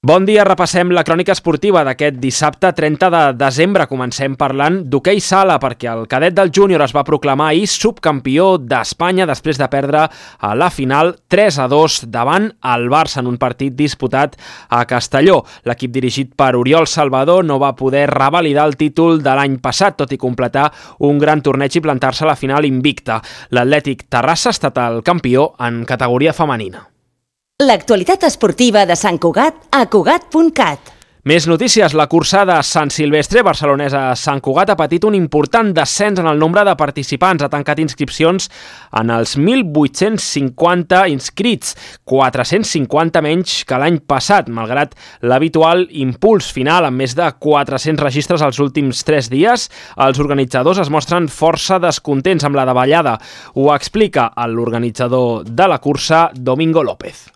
Bon dia, repassem la crònica esportiva d'aquest dissabte 30 de desembre. Comencem parlant d'hoquei sala, perquè el cadet del júnior es va proclamar ahir subcampió d'Espanya després de perdre a la final 3-2 davant el Barça en un partit disputat a Castelló. L'equip dirigit per Oriol Salvador no va poder revalidar el títol de l'any passat, tot i completar un gran torneig i plantar-se a la final invicta. L'Atlètic Terrassa ha estat el campió en categoria femenina. L'actualitat esportiva de Sant Cugat a Cugat.cat. Més notícies. La cursa de Sant Silvestre barcelonesa a Sant Cugat ha patit un important descens en el nombre de participants. Ha tancat inscripcions en els 1.850 inscrits, 450 menys que l'any passat, malgrat l'habitual impuls final amb més de 400 registres els últims 3 dies. Els organitzadors es mostren força descontents amb la davallada. Ho explica l'organitzador de la cursa, Domingo López.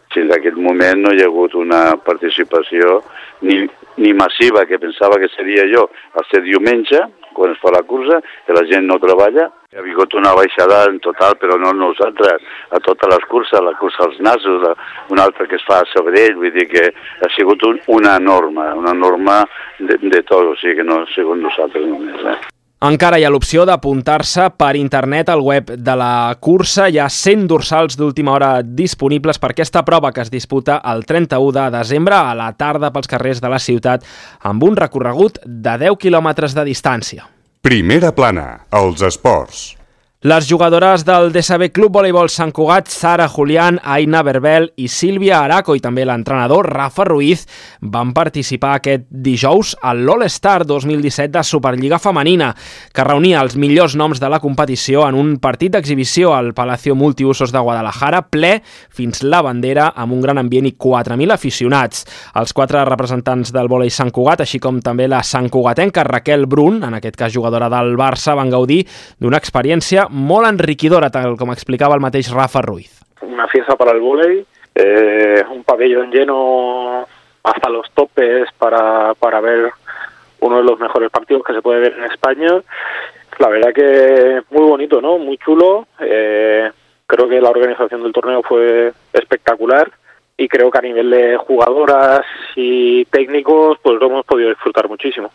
Fins a aquest moment no hi ha hagut una participació ni massiva, que pensava que seria jo al ser diumenge, quan es fa la cursa, que la gent no treballa. Hi ha hagut una baixada en total, però no nosaltres, a totes les curses, la cursa als Nassos, una altra que es fa a Sabadell, vull dir que ha sigut una norma de tot, o sigui que no ha sigut nosaltres només. Encara hi ha l'opció d'apuntar-se per internet al web de la cursa. Hi ha 100 dorsals d'última hora disponibles per aquesta prova que es disputa el 31 de desembre a la tarda pels carrers de la ciutat amb un recorregut de 10 quilòmetres de distància. Primera plana, els esports. Les jugadores del DSB Club Voleibol Sant Cugat, Sara Julián, Aina Berbel i Sílvia Araco, i també l'entrenador Rafa Ruiz, van participar aquest dijous a l'All-Star 2017 de Superliga Femenina, que reunia els millors noms de la competició en un partit d'exhibició al Palacio Multiusos de Guadalajara, ple fins la bandera, amb un gran ambient i 4.000 aficionats. Els 4 representants del vòlei Sant Cugat, així com també la santcugatenca Raquel Brun, en aquest cas jugadora del Barça, van gaudir d'una experiència molt enriquidora, tal com explicava el mateix Rafa Ruiz. Una fiesta para el vóley, un pabellón lleno hasta los topes para ver uno de los mejores partidos que se puede ver en España. La verdad que muy bonito, ¿no? Muy chulo. Creo que la organización del torneo fue espectacular y creo que a nivel de jugadoras y técnicos pues lo hemos podido disfrutar muchísimo.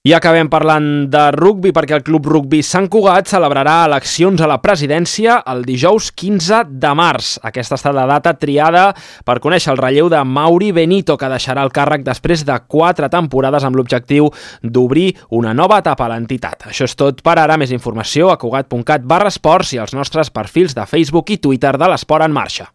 I acabem parlant de rugbi, perquè el Club Rugbi Sant Cugat celebrarà eleccions a la presidència el dijous 15 de març. Aquesta ha estat la data triada per conèixer el relleu de Mauri Benito, que deixarà el càrrec després de 4 temporades amb l'objectiu d'obrir una nova etapa a l'entitat. Això és tot per ara. Més informació a cugat.cat/esports i als nostres perfils de Facebook i Twitter de l'Esport en Marxa.